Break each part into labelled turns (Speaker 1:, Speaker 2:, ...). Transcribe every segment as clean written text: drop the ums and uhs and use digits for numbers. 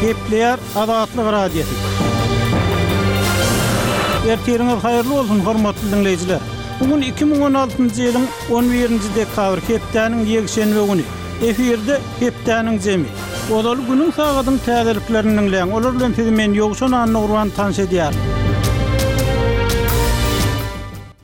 Speaker 1: Gepleýär Azatlyk Radiosy. Ertiriňiz haýyrly bolsun, hormatly diňleýjiler! Bu gün 2016-njy ýylyň 11-nji dekabry, hepdäniň ýekşenbe güni. Efirde Hepdäniň jemi. Ozaly günüň sagadyň täzeliklerini diňläň, olar bilen sizi men Ýowşan Annagurban tanyş edýärin.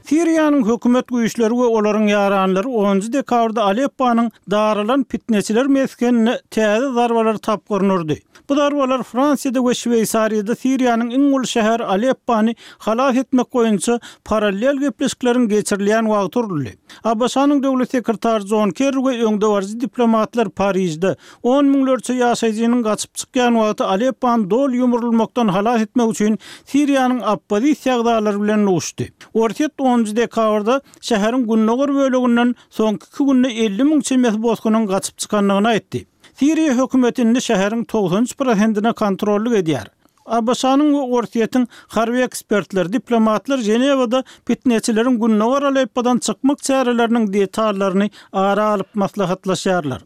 Speaker 1: Siriýanyň hökümet güýçleri we olaryň ýaranlary onunjy dekabrda Alepponyň daralan pitneçiler mesgenine täze zarbalar tapgyryny urdy. Bu zarbalar Fransiýada we Şweýsariýada Siriýanyň iň uly şäheri Aleppony halas etmek boýunça parallel gepleşikleriň geçirilýän wagty uruldy. ABŞ-nyň döwlet sekretary Jon Kerri we öňdebaryjy diplomatlar Parižde, on müňlerçe ýaşaýjynyň gaçyp çykýan wagty Aleppony doly ýumrulmakdan halas etmek üçin Siriýanyň oppozisiýa agzalary bilen duşdy. Orsýet onunjy dekabrda şäheriň gündogar böleginden soňky iki günde 50 müň çemesi bosgunyň gaçyp çykandygyny aýtdy. Siriýa hökümeti indi şäheriň 93 prosentine kontrollyk edýär. ABŞ-nyň we Orsýetiň harby ekspertleri, diplomatlar Ženewada pitneçileriň gündogar Aleppodan çykmak çäreleriniň detallaryny ara alyp maslahatlaşýarlar.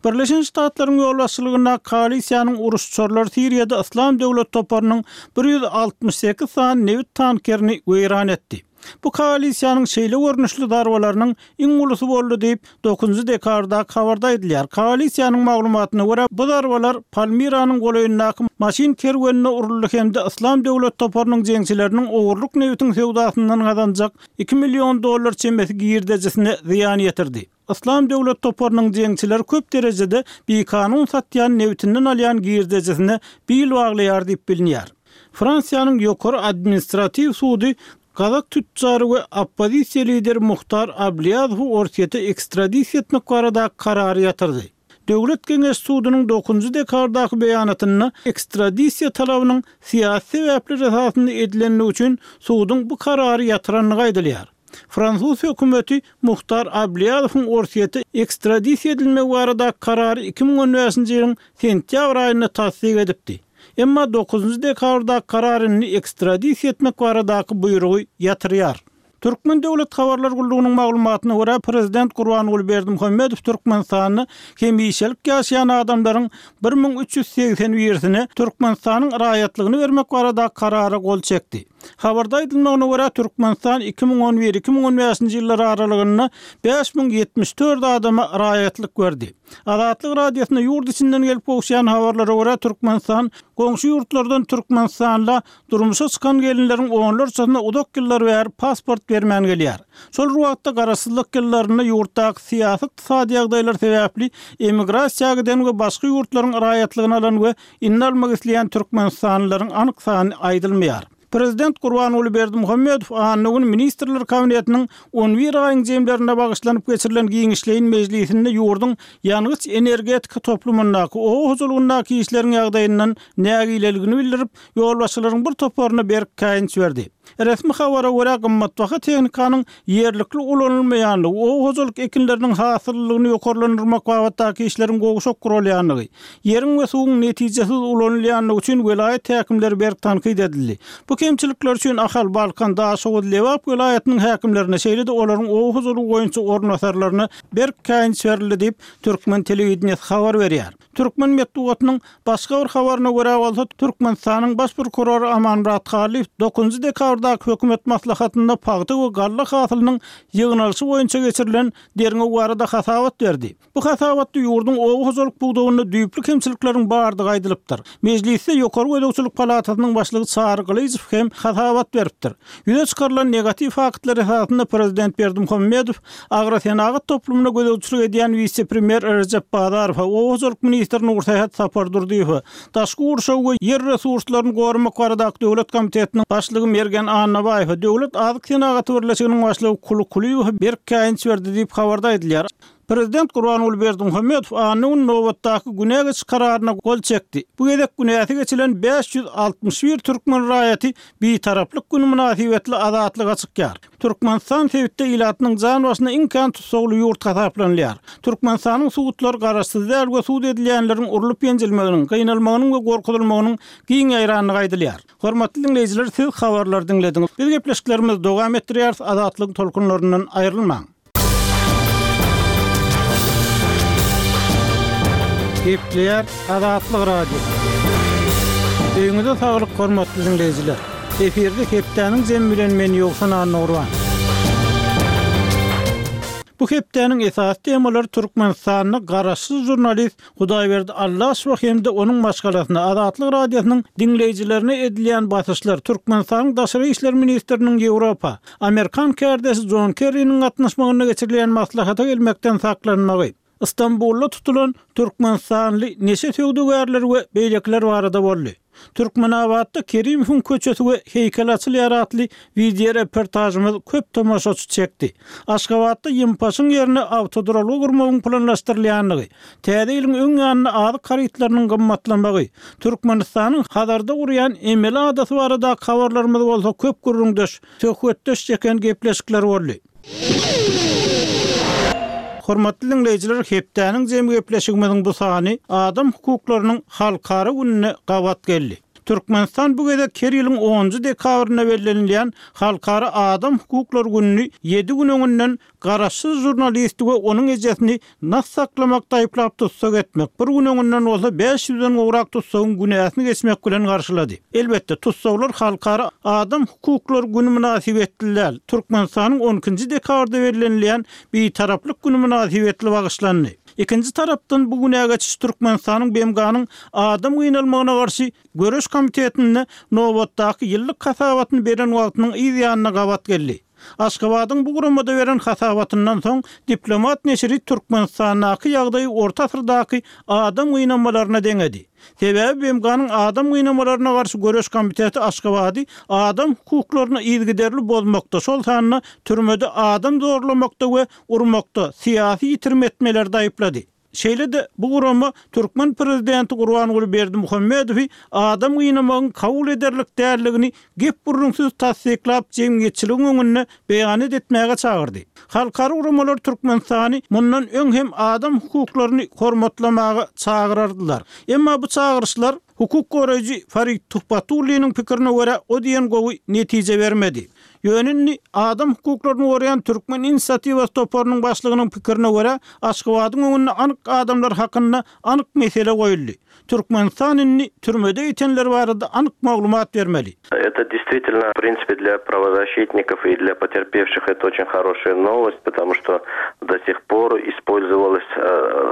Speaker 1: Birleşen Ştatlaryň ýolbaşçylygyndaky koalisiýanyň uruş uçarlary Siriýada Yslam döwlet toparynyň 168 sany nebit tankerini weýran etdi. Bu koalisiýanyň şeýle görnüşli zarbalarynyň iň ulusy boldy diýip, dokuzynjy dekabrdaky habarda aýdylýar. Koalisiýanyň maglumatyna görä, bu zarbalar Palmiranyň golaýyndaky maşyn kerwenine uruldy hem-de Yslam döwlet toparynyň jeňçileriniň ogurlyk nebitiň söwdasyndan gazanjak iki million dollar çemesi girdejisine zyýan ýetirdi. Yslam döwlet toparynyň jeňçileri köp derejede bikanun satýan nebitinden alýan girdejisine bil baglaýar diýip bilinýär. Fransiýanyň Ýokary administratiw sudy gazak tütjary we oppozisiýa lideri Muhtar Ablýazowy Orsýete ekstradisiýa etmek baradaky karary ýatyrdy. Döwlet geňeş sudunyň dokuzynjy dekabrdaky beýanatynda ekstradisiýa talabynyň syýasy sebäpler esasynda edilendigi üçin suduň bu karary ýatyrandygy aýdylýar. Fransuz hökümeti Muhtar Ablýazowyň Orsýete ekstradisiýa edilmegi baradaky karary 2015-nji ýylyň sentýabr aýynda tassyk edipdi. Emma dokuzynjy dekabrdaky karar indi ekstradisiýa etmek baradaky buýrugy ýatyrýar. Türkmen döwlet habarlar gullugynyň maglumatyna görä, prezident Gurbanguly Berdimuhamedow Türkmenistanda hemişelik ýaşaýan adamlaryň 1381-sine Türkmenistanyň raýatlygyny bermek baradaky karara gol çekdi. Habarda aýdylmagyna görä, Türkmenistan 2011, 2015-nji ýyllar aralygynda 5074 adama raýatlyk berdi. Azatlyk Radiosyna ýurt içinden gelip gowuşýan habarlara görä, Türkmenistan goňşy ýurtlardan türkmenistanla durmuşa çykan gelinleriň onlarçasyna uzak ýyllar bäri pasport bermän gelýär. Şol bir wagtda, garaşsyzlyk ýyllarynda ýurtdaky syýasy-ykdysady ýagdaýlar sebäpli emigrasiýa giden we başga ýurtlaryň raýatlygyny alan we indi almak isleýän türkmenistanlylaryň anyk sany aýdylmaýar. Prezident Gurbanguly Berdimuhamedow anna güni Ministrler Kabinetiniň on bir aýyň jemlerine bagyşlanyp geçirilen giňişleýin mejlisinde ýurduň ýangyç-energetika toplumyndaky, oba hojalygyndaky işleriň ýagdaýyndan nägileligini bildirip, ýolbaşçylaryň bir toparyna berk käýinç berdi. Resmi habara görä, gymmatbaha tehnikanyň ýerlikli ulanylmaýandygy, oba hojalyk ekinleriniň hasyllylygyny ýokarlandyrmak babatdaky işleriň gowşak guralýandygy, ýeriň we suwuň netijesiz ulanylýandygy üçin welaýat häkimleri berk tankyt edildi. Bu kemçilikler üçin Ahal, Balkan, Daşoguz, Lebap welaýatynyň häkimlerine, şeýle-de olaryň oba hojalygy boýunça orunbasarlaryna berk käýinç berildi diýip, türkmen telewideniýesi habar berýär. Türkmen metbugatynyň başga bir habaryna görä bolsa, Türkmenistanyň Baş prokurory Amanmyrat Hallyýew dokuzynjy dekabrdaky hökümet maslahatynda pagta we galla hasylynyň ýygnalyşy boýunça geçirilen derňew barada hasabat berdi. Bu hasabatda ýurduň oba hojalyk pudagynda düýpli kemçilikleriň bardygy aýdylypdyr. Mejlisde Ýokary gözegçilik palatasynyň başlygy Çary Gylyjow hem hasabat beripdir. Ýüze çykarylan negatiw faktlar esasynda prezident Berdimuhamedow agrosenagat toplumyna gözegçilik edýän wise-premýer Rejep Bazarowa, oba hojalyk ministri Nursähet Sapardurdyýewe, daşky gurşawy we ýer resurslaryny goramak baradaky döwlet komitetiniň başlygy Mergen Annabaýewe, Döwlet azyk senagaty birleşiginiň başlygy Kuly Kulyýewe berk käýinç berdi diýip, habarda aýdylýar. Prezident Gurbanguly Berdimuhamedow anna güni nobatdaky günä geçiş kararyna gol çekdi. Bu gezek günäsi geçilen 561 türkmen raýaty Bitaraplyk güni mynasybetli azatlyga çykýar. Türkmenistan sebitde ilatynyň jan başyna iň kän tussagly ýurt hasaplanylýar. Türkmenistanyň sudlary garaşsyz däl we sud edilýänleriň urlup-ýenjilmeginiň, gynalmagynyň we gorkuzylmagynyň giň ýaýrandygy aýdylýar. Hormatly diňleýjiler, siz habarlary diňlediňiz. Biz gepleşiklerimizi dowam etdirýäris, Azatlygyň tolkunlaryndan aýrylmaň. Gepleýär Azatlyk Radiosy. Öýüňize saglyk hormatly diňleýjiler! Efirde hepdäniň jemi bilen men Ýowşan Annagurban. Bu hepdäniň esasy temalary Türkmenistanda garaşsyz žurnalist Hudaýberdi Allaşowa hem-de onuň maşgalasyna, Azatlyk Radiosynyň diňleýjilerine edilýän basyşlar, Türkmenistanyň daşary işler ministriniň Ýewropa, amerikan kärdeşi Jon Kerriniň gatnaşmagynda geçirilýän maslahata gelmekden saklanmagy, Stambulda tutulan türkmenistanly neşe söwdagärleri we beýlekiler barada boldy. Türkmenabatda Kerimowyň köçesi we heýkeli açylýar atly wideoreportažymyz köp tomaşaçy çekdi. Aşgabatda Ýympaşyň ýerine awtoduralga gurmagyň planlaşdyrylýandygy, Täze ýylyň öň ýanynda azyk harytlarynyň gymmatlamagy, Türkmenistanyň Hazarda gurýan emeli adasy baradaky habarlarymyz bolsa köp gürrüňdeş, söhbetdeş çeken gepleşikler boldy. Hormatly diňleýjiler, hepdäniň jemi gepleşigimiziň bu sany Adam hukuklarynyň halkara gününe gabat geldi. Türkmenistan bu gezek her ýylyň onunjy dekabrynda bellenilýän Halkara adam hukuklary gününi ýedi gün öňünden Garaşsyz žurnalisti we onuň ejesini nas saklamakda aýyplap tussag etmek, bir gün öňünden bolsa bäş ýüzden gowrak tussagyň günäsini geçmek bilen garşylady. Elbetde, tussaglar Halkara adam hukuklary güni mynasybetli däl, Türkmenistanyň on ikinji dekabrda bellenilýän Bitaraplyk güni mynasybetli bagyşlandy. Ikinji tarapdan, bu günä geçiş Türkmenistanyň BMG-niň adam gynalmagyna garşy göreş komitetinde nobatdaky ýyllyk hasabatyny beren wagtynyň yz ýanyna gabat geldi. Aşgabadyň bu guramada beren hasabatyndan soň, Diplomat neşiri Türkmenistandaky ýagdaýy orta asyrdaky adam gynamalaryna deňedi. Sebäbi BMG-niň Adam gynamalaryna garşy göreş komiteti Aşgabady adam hukuklaryny yzygiderli bozmakda, şol sanda türmede adam zorlamakda we urmakda, syýasy ýitirim etmelerde aýyplady. Şeýle-de, bu gurama türkmen prezidenti Gurbanguly Berdimuhamedowy adam gynamagyň kabul ederlik däldigini gep-gürrüňsiz tassyklap, jemgyýetçiligiň öňünde beýanat etmäge çagyrdy. Halkara guramalar Türkmenistany mundan öň hem adam hukuklaryny hormatlamaga çagyrardylar. Emma bu çagyryşlar, hukuk goraýjy Farid Tuhbatulliniň pikirine görä, o diýen gowy netije bermedi. Ýöne indi adam hukuklaryny goraýan Türkmen inisiatiwasy toparynyň başlygynyň pikirine görä, Aşgabadyň öňünde anyk adamlar hakynda anyk mesele goýuldy. Türkmenistan indi türmede ýitenler barada anyk maglumat bermeli.
Speaker 2: Это действительно, в принципе, для правозащитников и для потерпевших это очень хорошая новость, потому что до сих пор использовалось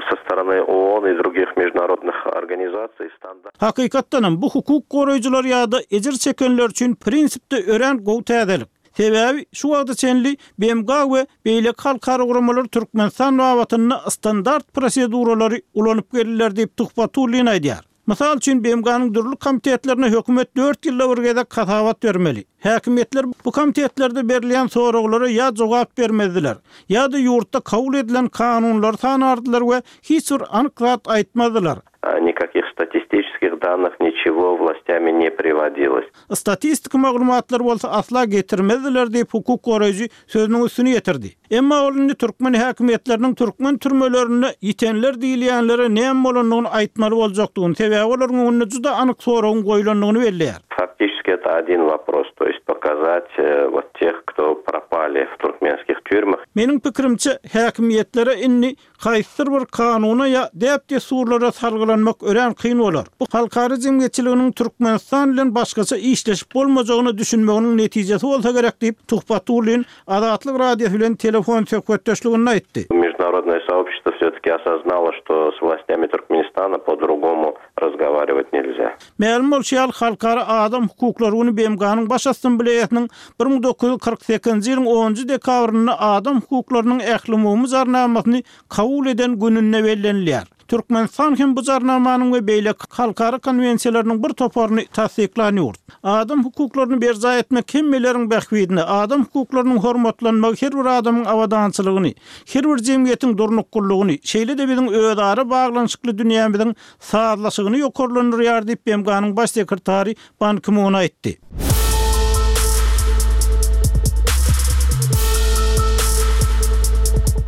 Speaker 2: со стороны ООН и других международных организаций стандарт.
Speaker 1: Hakykatdanam, bu hukuk goraýjylar ýa-da ejir çekenler üçin prinsipde örän gowy täzelik. Sebäbi şu wagta çenli BMG we beýleki halkara guramalar Türkmenistan babatynda standart proseduralary ulanyp geldiler diýip, Tuhbatullin aýdýar. Mysal üçin, BMG-niň dürli komitetlerine hökümet dört ýylda bir gezek hasabat bermeli. Häkimiýetler bu komitetlerde berilýän soraglara ýa jogap bermezdiler, ýa-da ýurtda kabul edilen kanunlary sanardylar we hiç bir anyk zat aýtmazdylar.
Speaker 2: Nikakih statistiçeskih dannyh niçego wlastyami ne priwodilos.
Speaker 1: Statistiki maglumatlary bolsa asla getirmezdiler diýip, hukuk goraýjy sözüniň üstüni ýetirdi. Emma ol indi türkmen häkimiýetleriniň türkmen türmelerinde ýitenler diýilýänlere näme bolandygyny aýtmaly boljakdygyny, sebäbi olaryň öňünde juda anyk soragyň goýlandygyny belleýär.
Speaker 2: Faktiçeski eto odin wopros, to ýest pokazat wot teh, kto propali w turkmenskih týurmah.
Speaker 1: Meniň pikirimçe, häkimiýetlere indi Haýsydyr bir kanuna ýa däp-dessurlara salgylanmak örän kyn bolar. Bu halkara jemgyýetçiliginiň Türkmenistan bilen başgaça işleşip bolmajagyna düşünmeginiň netijesi bolsa gerek diýip, Tuhbatullin Azatlyk Radiosy bilen telefon söhbetdeşliginde aýtdy.
Speaker 2: Международное сообщество все-таки осознало, что с властями Туркменистана по-другому razgovarivat nelzya.
Speaker 1: Mälim bolşy ýaly, Halkara adam hukuklary güni BMG-niň Baş Assambleýasynyň 1948-nji ýylyň onunjy dekabrynda Adam hukuklarynyň ählumumy Jarnamasyny kabul eden gününde bellenilýär. Türkmenistan hem bu Jarnamanyň we beýleki halkara konwensiýalarynyň bir toparyny tassyklan ýurt. Adam hukuklaryny berjaý etmek hemmeleriň bähbidine, adam hukuklarynyň hormatlanmagy her bir adamyň abadançylygyny, her bir jemgyýetiň durnuklylygyny, şeýle-de biziň özara baglanyşykly dünýämiziň sazlaşygyny ýokarlandyrýar diýip, BMG-niň Baş sekretary Ban Ki-mun aýtdy.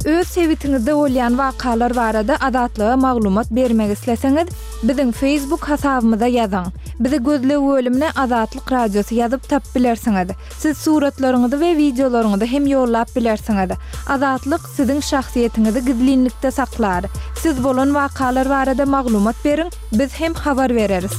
Speaker 3: Öz sebitiňizde bolýan wakalar barada Azatlyga maglumat bermek isleseňiz, biziň Facebook hasabymyza ýazyň. Bizi gözleg bölümine Azatlyk Radiosy ýazyp tapyp bilersiňiz. Siz suratlaryňyzy we wideolaryňyzy hem ýollap bilersiňiz. Azatlyk siziň şahsyýetiňizi gizlinlikde saklar. Siz bolan wakalar barada maglumat beriň, biz hem habar bereris.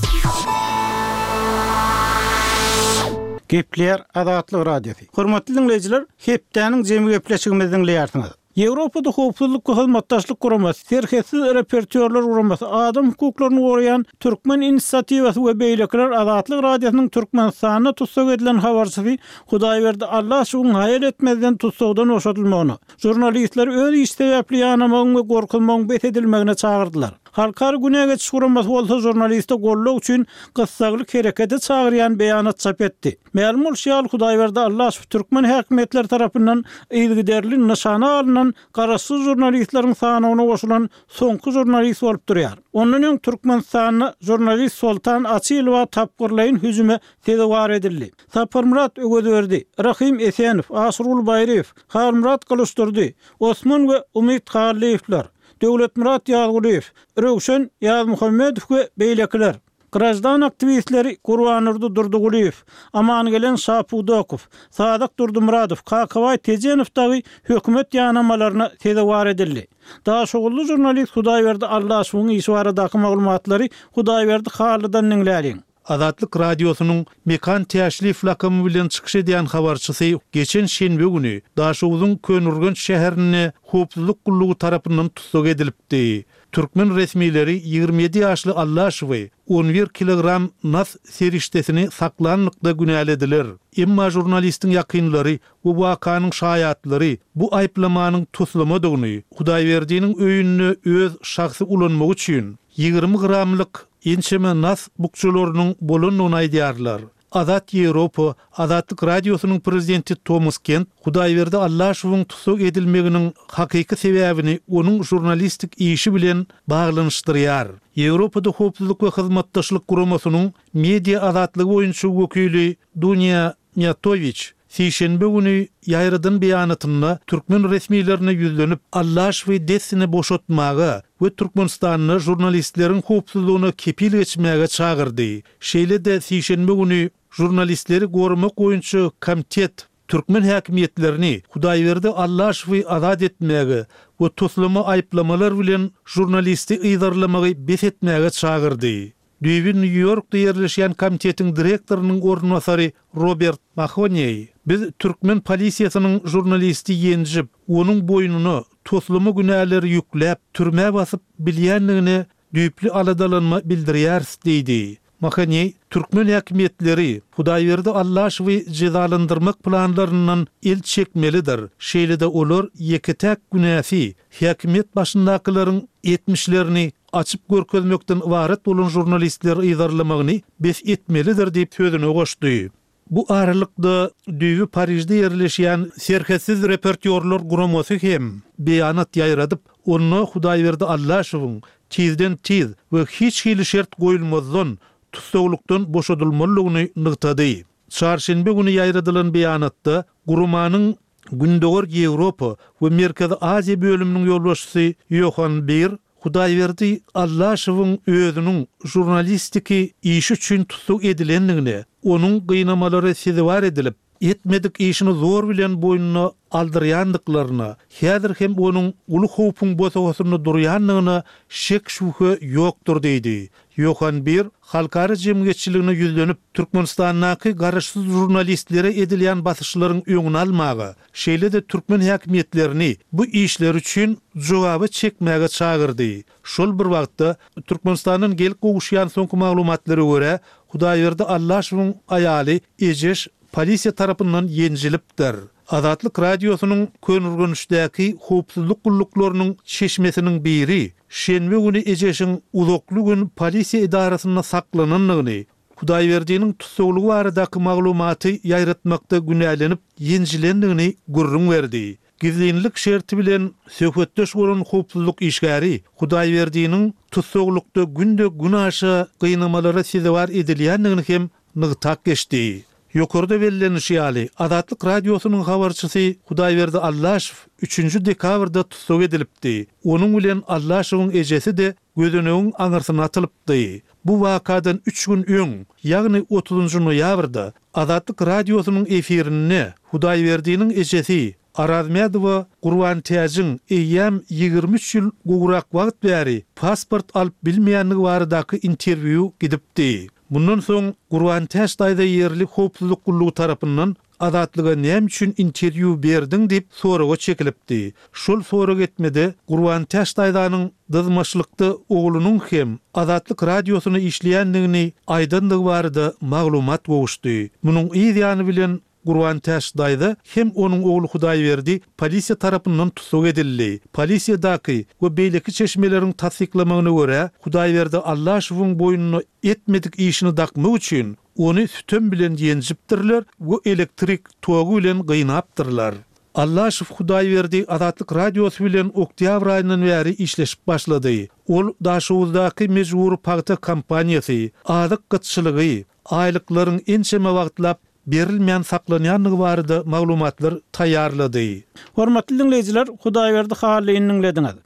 Speaker 1: Gepleýär Azatlyk Radiosy. Hormatly diňleýjiler, hepdäniň jemi gepleşigimizi diňleýärsiňiz. Ýewropada Howpsuzlyk we Hyzmatdaşlyk Guramasy, Serhetsiz reportýorlar guramasy, adam hukuklaryny goraýan Türkmen inisiatiwasy we beýlekiler Azatlyk Radiosynyň Türkmenistanda tussag edilen habarçysy Hudaýberdi Allaşowyň haýal etmezden tussagdan boşadylmagyna, žurnalistleri öz işi sebäpli ýanamagyň we gorkuzmagyň bes edilmegine çagyrdylar. Halkara günä geçiş guramasy bolsa žurnaliste goldaw üçin gyssagly herekete çagyrýan beýanat çap etdi. Mälim bolşy ýaly, Hudaýberdi Allaşow türkmen häkimiýetleri tarapyndan yzygiderli nyşana alnan garaşsyz žurnalistleriň sanawyna goşulan soňky žurnalist bolup durýar. Ondan öň Türkmenistanda žurnalist Soltan Açylowa tapgyrlaýyn hüjüme sezewar edildi. Saparmyrat Öwezberdi, Rahym Esenow, Aşyrguly Baýryýew, Halmyrat Gylyçdurdy, Osman we Umyt Hallyýewler, Döwletmyrat Ýazgulyýew, Röwşen Ýazmuhammedow we beýlekiler. Graždan aktiwistleri Gurbandurdy Durdygulyýew, Amangelen Şapudakow, Sadyk Durdymyradow, Kakabaý Tejenow dagy hökümet ýanamalaryna sezewar edildi. Daşoguzly žurnalist Hudaýberdi Allaşowyň işi baradaky maglumatlary Hudaýberdi Hallydan diňläliň.
Speaker 4: Azatlyk Radiosynyň Mekan Täşliýew lakamy bilen çykyş edýän habarçysy geçen şenbe güni Daşoguzyň Köneürgenç şäherinde howpsuzlyk gullugy tarapyndan tussag edilipdi. Türkmen resmileri 27 ýaşly Allaşowy 11 kilogram nas serişdesini saklanlykda günälediler. Emma žurnalistiň ýakynlary we wakanyň şaýatlary bu aýyplamanyň toslamadygyny, Hudaýberdiniň öýünde öz şahsy ulanmagy üçin 20 gramlyk ençeme nas bukjalarynyň bolandygyny aýdýarlar. Azat Ýewropa, Azatlyk Radiosynyň prezidenti Tomas Kent Hudaýberdi Allaşowyň tussag edilmeginiň hakyky sebäbini onuň žurnalistik işi bilen baglanyşdyrýar. Ýewropada Howpsuzlyk we Hyzmatdaşlyk Guramasynyň media azatlygy boýunça wekili Dunýa Mýatowiç sişenbe güni ýaýradan beýanatynda türkmen resmilerine ýüzlenip, Allaşowy dessine boşatmaga we Türkmenistanda žurnalistleriň howpsuzlygyna kepil geçmäge çagyrdy. Şeýle-de sişenbe güni Žurnalistleri goramak boýunça komitet türkmen häkimiýetlerini Hudaýberdi Allaşowy azat etmäge we toslama aýyplamalar bilen žurnalisti yzarlamagy bes etmäge çagyrdy. Düýbi Nýu-Ýorkda ýerleşýän komitetiň direktorynyň orunbasary Robert Mahoneý, Biz türkmen polisiýasynyň žurnalisti ýenjip, onuň boýnuna toslama günäleri ýükläp, türmä basyp bilýändigine düýpli aladalanma bildirýäris diýdi. Mahoneý türkmen häkimiýetleri Hudaýberdi Allaşowy jezalandyrmak planlaryndan el çekmelidir, şeýle-de olar ýeke-täk günäsi häkimiýet başyndakylaryň etmişlerini açyp görkezmekden ybarat bolan žurnalistleri yzarlamagyny bes etmelidir diýip sözüne goşdy. Bu aralykda, düýbi Parižde ýerleşýän Serhetsiz reportýorlar guramasy hem beýanat ýaýradyp, onda Hudaýberdi Allaşowyň tizden-tiz we hiç hili şert goýulmazdan tussaglykdan boşadylmalydygyny nygtady. Çarşenbe güni ýaýradylan beýanatda guramanyň Gündogar Ýewropa we Merkezi Aziýa bölüminiň ýolbaşçysy Ýohan Bir Hudaýberdi Allaşowyň özüniň žurnalistiki işi üçin tussag edilendigine, onuň gynamalara sezewar edilip, etmedik işini zor bilen boýnuna aldyrýandyklaryna, häzir hem onuň uly howpuň bosagasynda durýandygyna şek-şübhe ýokdur diýdi. Ýohan Bir halkara jemgyýetçiligine ýüzlenip, Türkmenistandaky garaşsyz žurnalistlere edilýän basyşlaryň öňüni almaga, şeýle-de türkmen häkimiýetlerini bu işleri üçin jogaba çekmäge çagyrdy. Şol bir wagtda, Türkmenistandan gelip gowuşýan soňky maglumatlara görä, Hudaýberdi Allaşowyň aýaly Ejeş polisiýa tarapyndan ýenjilipdir. Azatlyk Radiosynyň Köneürgençdäki howpsuzlyk gulluklarynyň çeşmesiniň biri şenbe güni Ejeşiň uzakly gün polisiýa edarasynda saklanandygyny, Hudaýberdiniň tussaglygy baradaky maglumaty ýaýratmakda günälenip ýenjilendigini gürrüň berdi. Gizlinlik şerti bilen söhbetdeş bolan howpsuzlyk işgäri Hudaýberdiniň tussaglykda günde-günaşa gynamalara sezewar edilýändigini hem nygtap geçdi. Ýokarda bellenişi ýaly, Azatlyk Radiosynyň habarçysy Hudaýberdi Allaşow üçünji dekabrda tussag edilipdi. Onuň bilen Allaşowyň ejesi-de gözenegiň aňyrsyna atylypdy. Bu wakadan üç gün öň, ýagny otuzynjy noýabrda Azatlyk Radiosynyň efirinde Hudaýberdiniň ejesi Arazmädowa Gurbantäjiň eýýäm 23 ýyl gowrak wagt bäri pasport alyp bilmeýändigi baradaky interwýu gidipdi. Mundan soň Gurbantäç daýza ýerli howpsuzlyk gullugy tarapyndan Azatlyga näme üçin interwýu berdiň diýip soraga çekilipdi. Şol sorag etmede Gurbantäç daýzanyň dyzmaçlykda oglunyň hem Azatlyk Radiosyna işleýändigini aýdandygy barada maglumat gowuşdy. Munuň yz ýany bilen Gurbantäç daýza hem onuň ogly Hudaýberdi polisiýa tarapyndan tussag edildi. Polisiýadaky we beýleki çeşmeleriň tassyklamagyna görä, Hudaýberdi Allaşowyň boýnuna etmedik işini dakmak üçin, ony sütem bilen ýenjipdirler we elektrik togy bilen gynapdyrlar. Allaşow Hudaýberdi Azatlyk Radiosy bilen oktýabr aýyndan bäri işleşip başlady. Ol Daşoguzdaky mejbury pagta kampaniýasy, azyk gytçylygy, aýlyklaryň ençeme wagtlap berilmän saklanýandygy barada maglumatlar taýýarlady.
Speaker 1: Hormatly diňleýjiler, Hudaýberdi Hallyny diňlediňiz.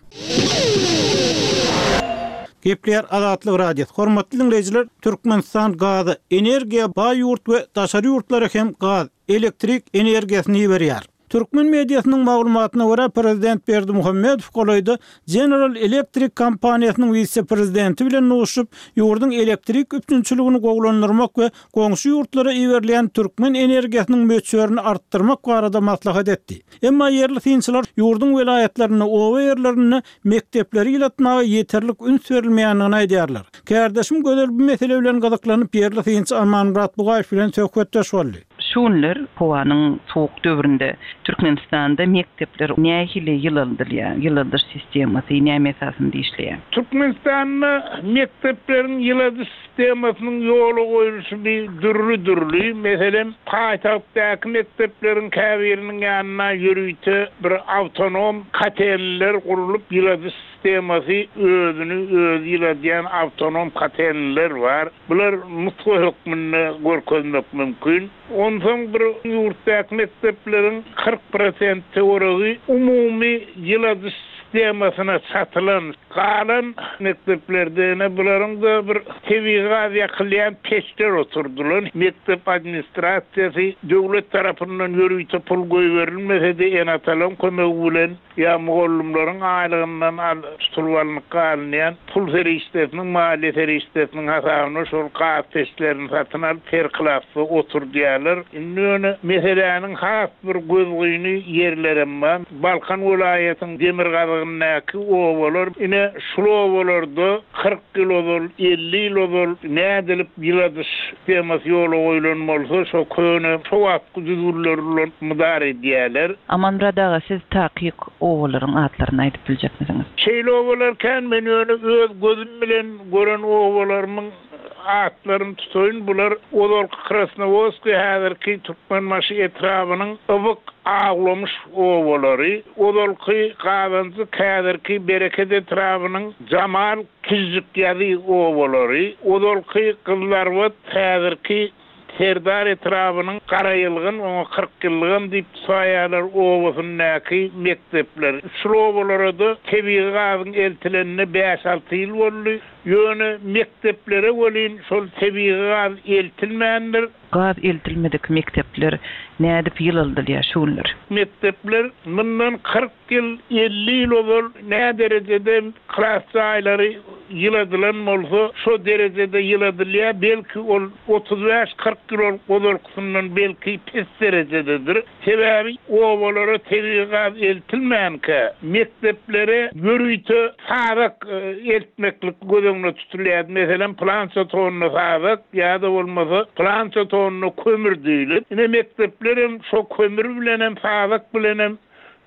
Speaker 1: Gepleýär Azatlyk Radiosy. Hormatly diňleýjiler, Türkmenistan gaza, energiýa baý ýurt we daşary ýurtlara hem gaz, elektrik energiýasyny iberýär. Türkmen mediasynyň maglumatyna görä, prezident Berdimuhamedow golaýda General Electric kompaniýasynyň wise-prezidenti bilen duşuşyp, ýurduň elektrik üpjünçiligini gowulandyrmak we goňşy ýurtlara iberilýän türkmen energiýasynyň möçberini artdyrmak barada maslahat etdi. Emma ýerli synçylar ýurduň welaýatlarynda, oba ýerlerinde mekdepleri ýylatmaga ýeterlik üns berilmeýändigini aýdýarlar. Kärdeşim Gözel bu mesele bilen gyzyklanyp, ýerli synçy Amanmyrat Bugaýew bilen söhbetdeş boldy.
Speaker 5: Şu günler howanyň sowuk döwründe Türkmenistanda mekdepler nähili ýylaldylýar? Ýyladyş sistemasy näme esasynda işleýär?
Speaker 6: Türkmenistanda mekdepleriň ýyladyş sistemasynyň ýola goýluşy bir dürli-dürli. Meselem, paýtagtdaky mekdepleriň käbiriniň ýanynda ýörite bir awtonom kotelniler gurlup, ýyladyş sistemasy özüni özi ýyladýan awtonom kotelniler bar. Bular nusga hökmünde görkezmek mümkin. Onsoň bir ýurtdaky mekdepleriň 40 prosent töweregi umumy ýyladyş sistemasyna çatylan, galan mekdeplerde ine bularyň-da bir tebigy gaz ýakylýan peçler oturdylan. Mekdep administrasiýasy döwlet tarapyndan ýörite pul goýberilmese-de ene-atalaryň kömegi bilen ýa mugallymlaryň aýlygyndan al tutulyp alnyp galynýan pul serişdesiniň, maliýe serişdesiniň hasabyna şol gaz peçlerini satyn alyp, her klasda oturdýarlar. Indi ýöne meseläniň has bir gözgyny ýerlerem bar. Balkan welaýatyň demirgazygyndaky obalar, ine, şul obalarda 40 ýyl ozal, 50 ýyl ozal nädilip ýyladyş sistemasy ýola goýlan bolsa, şo köne, şo wagtky düzgünleri ulanyp mydar edýärler.
Speaker 5: Amanmyrat aga, siz takyk obalaryň atlaryny aýdyp biljekmisiňiz?
Speaker 6: Şeýle obalar kän, men ýöne öz gözüm bilen gören obalarymyň atlaryny tutaýyn, bular ozalky Krasnowodskiý, häzirki Türkmenbaşy etrabynyň Ybyk, Awlamyş obalary, ozalky Gazanjyk, häzirki Bereket etrabynyň Jamal, Kižžikýazy obalary, ozalky Gyzlarbat, häzirki Serdar etrabynyň Garaýylgyn, oňa 40 ýyllygam diýip saýýarlar, obasyndaky mekdepler. Şul obalara-da tebigy gazyň eltilenine bäş-alty ýyl boldy. Ýöne mekdeplere welin şol tebigy gaz eltilmändir.
Speaker 5: Gaz eltilmedik mekdepler nädip ýylaldylýar şu günler?
Speaker 6: Mekdepler mundan 40 ýyl, 50 ýyl ozal näderejede klas jaýlary ýyladylan bolsa, şo derejede ýyladylýar. Belki, ol 35, 40 ýyl ozalkysyndan belki pes derejededir. Sebäbi obalara tebigy gaz eltilmänkä, mekdeplere ýörite sazak eltmeklik göz öňünde tutulýardy. Meselem, pylança tonna sazak ýa-da bolmasa pylança tonna kömür diýlip. Ine, mekdeplerem şo kömür bilenem, sazak bilenem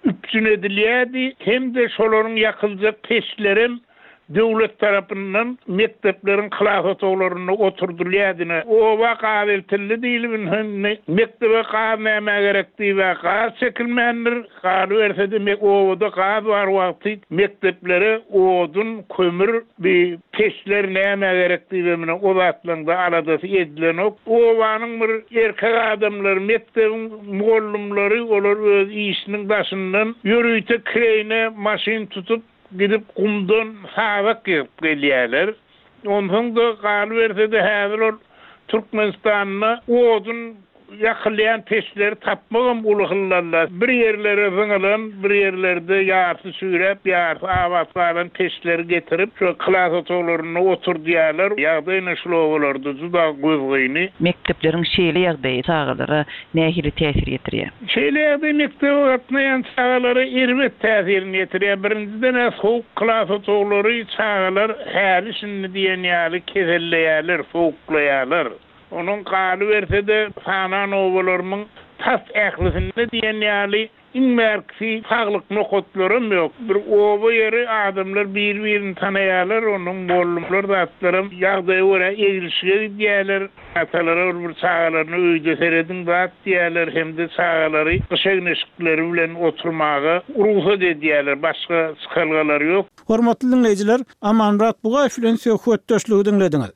Speaker 6: üpjün edilýärdi hem-de şolaryň ýakyljak peçlerem döwlet tarapyndan mekdepleriň klas otaglarynda oturdylýardy. Ine, oba gaz eltildi diýlip, indi indi mekdebe gaz nämä gerek diýib-ä gaz çekilmändir. Galyberse-de, obada gaz bar wagty mekdeplere odun, kömür, bi peçler nämä gerek diýibem ine, o zatlaryň-da aladasy edilenok. Obanyň bir erkek adamlary, mekdebiň mugallymlary olar öz işiniň daşyndan ýörite kireýine maşyn tutup, Gidip gumdan sazak ýygyp gelýärler. Onsoň-da galyberse-de häzir ol Türkmenistanda odun ýakylýan peçleri tapmagam uly hyllalla. Bir ýerlere zyňylan, bir ýerlerde ýarsy çüýräp, ýarsy abat galan peçleri getirip, şo klas otaglarynda oturdýarlar. Ýagdaý ine şul obalarda juda gözgyny.
Speaker 5: Mekdepleriň şeýle ýagdaýy çagalara nähili täsir ýetirýär?
Speaker 6: Şeýle ýagdaý mekdebe gatnaýan çagalara erbet täsirini ýetirýär. Birinjiden-ä sowuk klas otaglary çagalar häli-şindi diýen ýaly keselleýärler, sowuklaýarlar. Onuň galyberse-de, sanan obalarymyň tas ählisinde diýen ýaly iň bärkisi saglyk nokatlaram ýok. Bir oba ýeri adamlar bir-birini tanaýarlar, onuň mollumlar zatlaram ýagdaýa görä eglişige gidýärler. Atalara ol bir çagalaryna öýde serediň zat diýýärler hem-de çagalary gyş egin-eşikleri bilen oturmaga rugsat edýärler, başga çykalgalary ýok.
Speaker 1: Hormatly diňleýjiler, Amanmyrat Bugaýew bilen söhbetdeşligi diňlediňiz.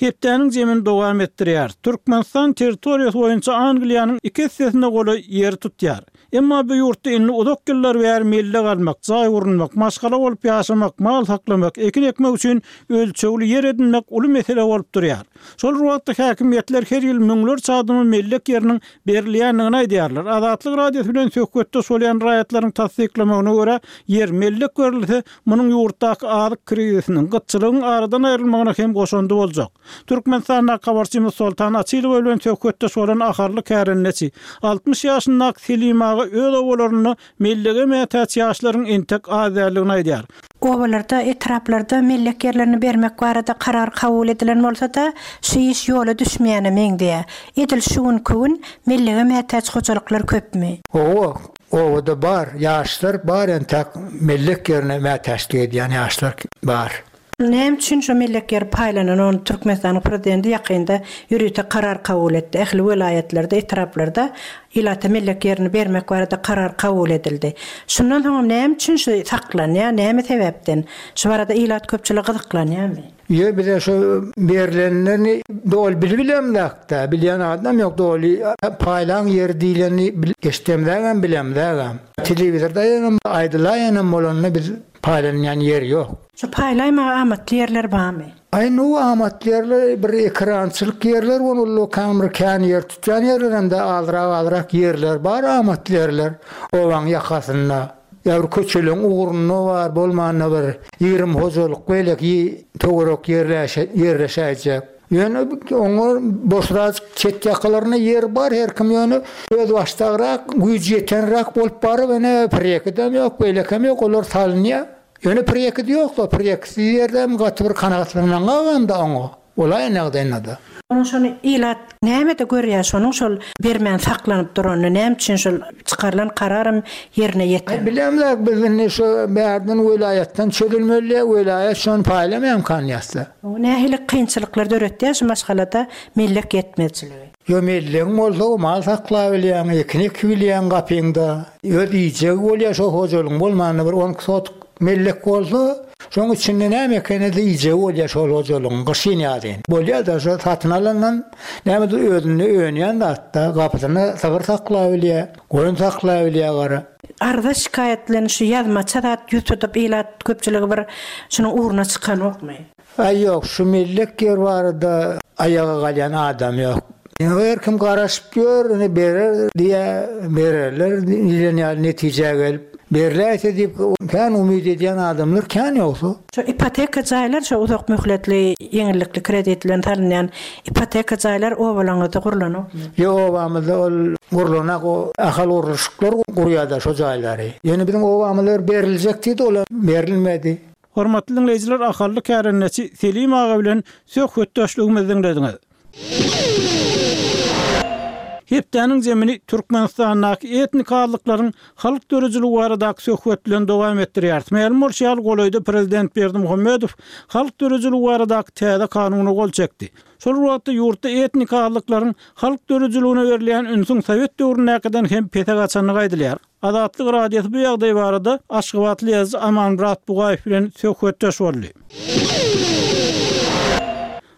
Speaker 1: Hepdäniň jemini dowam etdirýäris. Türkmenistan territoriýasy boýunça Angliýanyň iki essesine golaý ýeri tutýar. Emma bu ýurtda indi uzak ýyllar bäri mellek almak, jaý gurunmak, maşgala bolup ýaşamak, mal saklamak, ekin ekmek üçin ölçegli ýer edinmek uly mesele bolup durýar. Şol bir wagtda häkimiýetler her ýyl müňlerçe adama mellek ýeriniň berilýändigini aýdýarlar. Azatlyk Radiosy bilen söhbetdeş bolýan raýatlaryň tassyklamagyna görä, ýer, mellek berilse, munuň ýurtdaky azyk krizisiniň, gytçylygyň aradan aýrylmagyna hem goşandy boljak. Türkmenistandaky habarçymyz Soltan Açylowa bilen söhbetdeş bolan ahally kärendeçi, 60 ýaşyndaky Selim aga öz obalarynda Mellege mätäç ýaşlaryň entek az däldigini aýdýar.
Speaker 7: Obalarda, etraplarda mellek ýerlerini bermek barada karar kabul edilen bolsa-da, şu iş ýola düşmeýäne meňzeýär. Edil şu günki gün mellege mätäç hojalyklar köpmi?
Speaker 8: Hawa, obada bar, ýaşlar bar entäk mellek ýerine mätäçlik edýän ýaşlar bar.
Speaker 7: Näme üçin şo mellek ýeri paýlanan ony Türkmenistanyň prezidenti ýakynda ýörite karar kabul etdi. Ähli welaýatlarda, etraplarda ilata mellek ýerini bermek barada karar kabul edildi. Şundan soňam näme üçin şu saklanýar, näme sebäpden? Şu barada ilat köpçüligi gyzyklanýarmy?
Speaker 8: Ýö bize şo berlenlerini doly bilibilemzakda, bilýän adam ýok doly paýlaň ýeri diýlenini eşdemzagam bilemzagam. Telewizorda aýdanam aýdylaýanam bolanda biz Paýlanýan ýer ýok.
Speaker 7: Şu paýlaýmaga amatly ýerler barmy?
Speaker 8: Aý nu amatly ýerler bir ekerançylyk ýerler bar ullakan bir kän ýer tutýan ýerler hem-de azrak-azrak ýerler bar amatly ýerler obaň ýakasynda ýa bir köçeleň ugrunda bar bolmanda bir 20 hojalyk beýleki töwerek ýerleşäýjek. Ýöne oňa boşrajyk çet ýakalarynda ýer bar her kim ýöne özbaşdagrak güýji ýetenräk bolup baryp ene priýekidem ýok beýlekem ýok olar salynýar. Ýöne priýekidi ýok-da priýekisiz ýerdem gaty bir kanagatlanmaňagam-da oňa bolaýan ýagdaýynda-da.
Speaker 7: Onuň şony ilat nämede görýär şonuň şol bermän saklanyp duranyny näme üçin şol çykarylan kararam ýerine
Speaker 8: Aý
Speaker 7: ýetirilmedi.
Speaker 8: bilemzok biz indi şu bärden welaýatdan çözülmeli welaýat şony paýlamaýamkan ýatsa.
Speaker 7: Bu nähili kynçylyklar döretýär şu maşgalada mellek ýetmezçiligi?
Speaker 8: Ýo mellegiň bolsa mal saklabilýäň, ekin ekibilýäň gapyňda. Öz iýjegi bolýar şo hojalygyň bolmanda bir onki sotuk mellek bolsa, şoň içinde näme ekenede iýjegi bolýar şol hojalygyň gyşyn ýazyn. Bolýada şo satyn alandan nämedir özünde önýän zatda gapysynda sygyr saklabilýär, goýun saklabilýär gara.
Speaker 7: Arza şikaýat bilen şu ýazmaça zat ýüz tutup ilat köpçüligi bir şunuň ugruna çykanokmy?
Speaker 8: Aý ýok şu mellek ýer barada aýaga galýan adam ýok. Her kim garaşyp ýör ine berer diýä bererler diýlen ýaly netijä gelip berläýse diýip kän umyt edýän adamlar kän ýogsa.
Speaker 7: Şu ipoteka jaýlar şu uzak möhletli ýeňillikli kredit bilen salynýan ipoteka jaýlar obalaňyzda gurlanokmy?
Speaker 8: Ýok obamyzda ol gurlanak o Ahal gurluşyklar gurýada şo jaýlary. Ýöne biziň obamyzda bir beriljek diýdi olam berilmedi.
Speaker 1: Hormatly diňleýjiler Ahally kärendeçi Selim aga bilen söhbetdeşligimizi diňlediňiz. Hepdäniň zemini Türkmenistandaky etnik azlyklaryň halk döredijiligi baradaky söhbet bilen dowam etdirýäris. Mälim bolşy ýaly, golaýda prezident Berdimuhamedow halk döredijiligi baradaky täze kanuna gol çekdi. Şol bir wagtda, ýurtda etnik azlyklaryň halk döredijiligine berilýän ünsüň sowet döwründäkiden hem pese gaçandygy aýdylýar. Azatlyk Radiosy bu ýagdaý barada aşgabatly ýazyjy Amanmyrat Bugaýew bilen söhbetdeş boldy.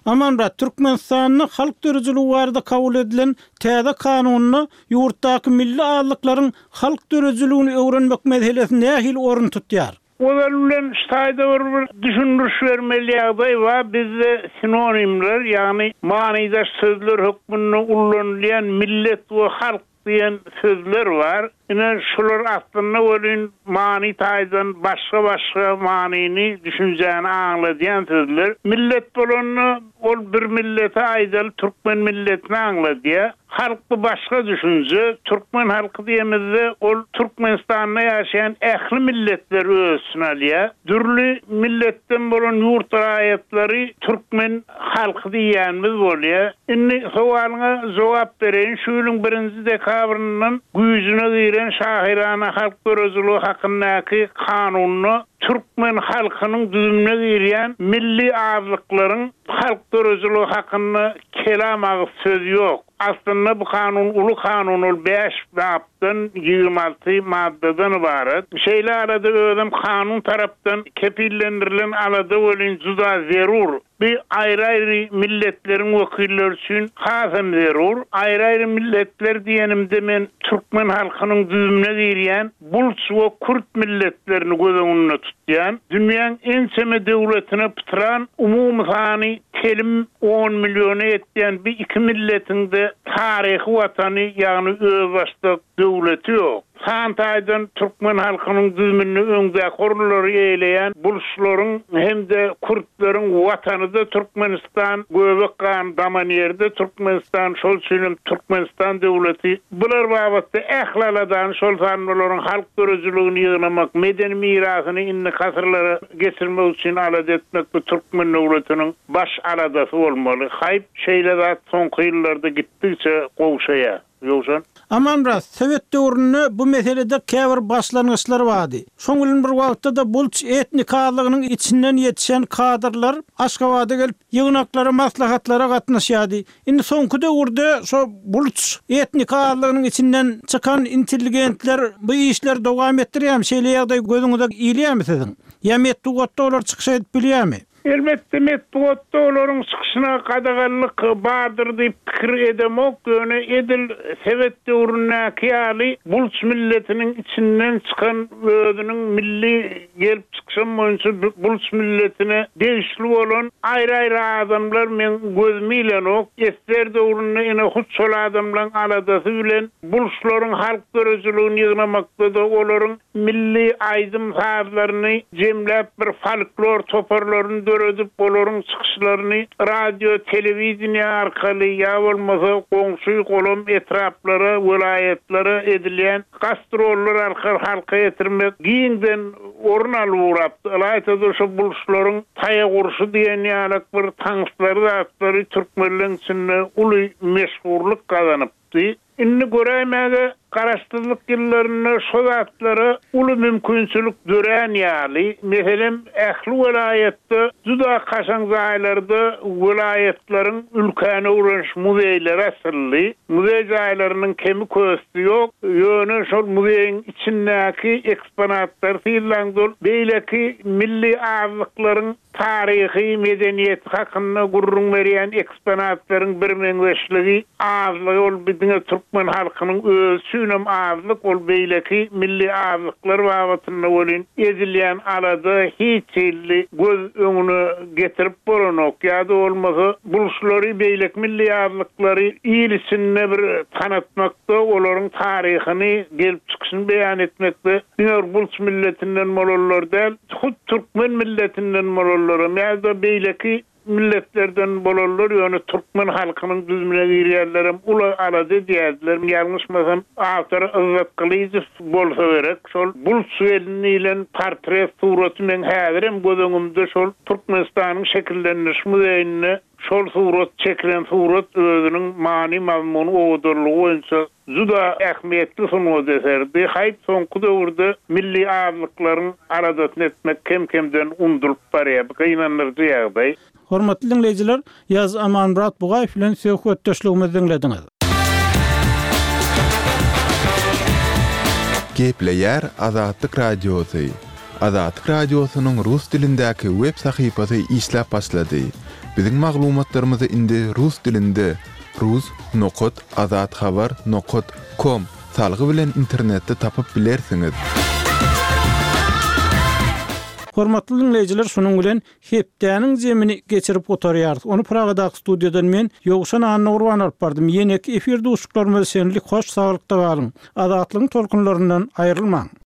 Speaker 1: Amanmyrat, Türkmenistanda halk döredijiligi barada kabul edilen täze kanunda ýurtdaky milli azlyklaryň halk döredijiligini öwrenmek meselesi nähili orun tutýar?
Speaker 6: Ozal bilen şu taýda bir bir düşündiriş bermeli ýagdaý bar, bizde sinonimler, ýagny manydaş sözler hökmünde ullanylýan millet we halk diýen sözler bar. Ine, şular aslynda welin many taýdan başga-başga manyny, düşünjäni aňladýan sözler. Millet bolanda, ol bir milleti aýdaly türkmen milletini aňladýar. Halk bu başga düşünje. Türkmen halky diýemizde, ol Türkmenistanda ýaşaýan ähli milletleri öz içine alýar. Dürli milletden bolan ýurt raýatlary türkmen halky diýýänimiz bolýar. Indi sowalyňa jogap bereýin. Şu ýylyň birinji dekabryndan güýjüne giren Şahyrana halk döredijiligi hakyndaky kanunda türkmen halkynyň düzümine girýän milli azlyklaryň halk döredijiligi hakynda kelam agyz söz ýok. Aslynda bu kanun uly kanun ol bäş bapdan 26 maddadan ybarat. Şeýle alada özem kanun tarapdan kepillendirilen alada welin juda zerur. Bu aýry-aýry milletleriň wekilleri üçin hasam zerur. Aýry-aýry milletler diýenimde men türkmen halkynyň düzümine girýän bulç we kürt milletlerini göz öňünde tutýan. Dünýäň ençeme döwletine pytran, umumy sany telim on milliona ýetýän bu iki milletiň-de taryhy watany, ýagny özbaşdak döwleti ýok. San taýdan türkmen halkynyň düzüminde öňdäki orunlary eýeleýän bulçlaryň hem-de kürtleriň watany-da Türkmenistan, göbek gany daman ýeri-de Türkmenistan, şol üçin hem Türkmenistan döwleti bular babatda ähli aladany, şol sanda olaryň halk döredijiligini ýygnamak, medeni mirasyny indiki asyrlara geçirmek üçin alada etmek bu türkmen döwletiniň baş aladasy bolmaly. Haýp, şeýle zat soňky ýyllarda gitdigiçe gowşaýar. Ýowşan.
Speaker 1: Amanmyrat, sowet döwründe bu meselede käbir başlangyçlar bardy. Şoň bilen bir wagtda-da bulç etnik azlygynyň içinden ýetişen kadrlar Aşgabada gelip, ýygnaklara, maslahatlara gatnaşýardy. Indi soňky döwürde şo bulç etnik azlygynyň içinden çykan intelligentler bu işleri dowam etdirýärmi? Şeýle ýagdaý gözüňize ilýärmi siziň? Ýa metbugatda olar çykyş edip bilýärmi?
Speaker 6: Elbetde, metbugatda olaryň çykyşyna gadaganlyk bardyr diýip pikir edemok, ýöne edil sowet döwründäki ýaly bulç milletiniň içinden çykan özüniň milli gelip çykyşam boýunça bulç milletine degişli bolan aýry-aýry adamlar meň gözüme ilenok. Ssr döwründe ine hut şol adamlaryň aladasy bilen bulçlaryň halk döredijiligini ýygnamakda-da olaryň milli aýdym-sazlaryny jemläp bir folklor toparlaryny döredip, olaryň çykyşlaryny radio, telewideniýe arkaly ýa bolmasa goňşy-golam etraplara, welaýatlara edilýän gastrollar arkaly halka ýetirmek giňden orun alyp ugrapdy. Ylaýta-da şo buluşlaryň taýak urşy diýen ýalak bir taňslary zatlary türkmenleň içinde uly meşhurlyk gazanypdy. Indi göräýmäge Garaşsyzlyk ýyllarynda şo zatlara uly mümkinçilik dörän ýaly. Meselem, ähli welaýatda juda kaşaň jaýlarda welaýatlaryň ülkäni öwreniş muzeýleri açyldy. Muzeý jaýlarynyň kemi-kösti ýok. Ýöne şol muzeýiň içindäki eksponatlary synlaňda ol beýleki milli azlyklaryň Taryhy, medeniýeti hakynda gürrüň berýän eksponatlaryň birmeňzeşligi, azlygy ol bi diňe türkmen halkynyň özi üçinem azlyk, ol beýleki milli azlyklar babatynda welin edilýän alada hiç hili göz öňüne getirip bolanok ýa-da bolmasa buluşlary beýleki milli azlyklary il içinde bir tanatmakda olaryň taryhyny, gelip çykyşyny beýan etmekde diňe bir bulç milletinden bolanlar däl, Hut türkmen milletinden bolanlaram ýa-da beýleki milletlerden bolanlar, ýöne türkmen halkynyň düzümine girýänlerem uly alada edýärdiler. Ýalňyşmasam, awtory Yzzat Gylyjow bolsa gerek. Şol Bulç gelin diýlen portret suraty meň häzirem göz öňümde şol Türkmenistanyň şekillendiriş muzeýinde şol surat çekilen surat özüniň many-mazmuny owadanlygy boýunça Juda ähmiýetli sungat eseridi. Haýp, soňky döwürde milli azlyklaryň aladasyny etmek kem-kemden undulyp barýar. Bu gynandyryjy ýagdaý.
Speaker 1: Hormatly diňleýjiler, Ýaz Amanmyrat Bugaýew bilen söhbetdeşligimizi diňlediňiz.
Speaker 9: Gepleýär Azatlyk Radiosy. Azatlyk Radiosynyň rus dilindäki web sahypasy işläp başlady. Biziň maglumatlarymyzy indi rus dilinde rus nokat azathabar nokat kom salgy bilen internetde tapyp bilersiňiz.
Speaker 1: Hormatly diňleýjiler, şunuň bilen hepdäniň jemini geçirip gutarýarys. Ony Pragadaky studiýadan men, Ýowşan Annagurban alyp bardym. Ýeneki efir duşuşyklarymyza çenli hoş saglykda galyň! Azatlygyň tolkunlaryndan aýrylmaň!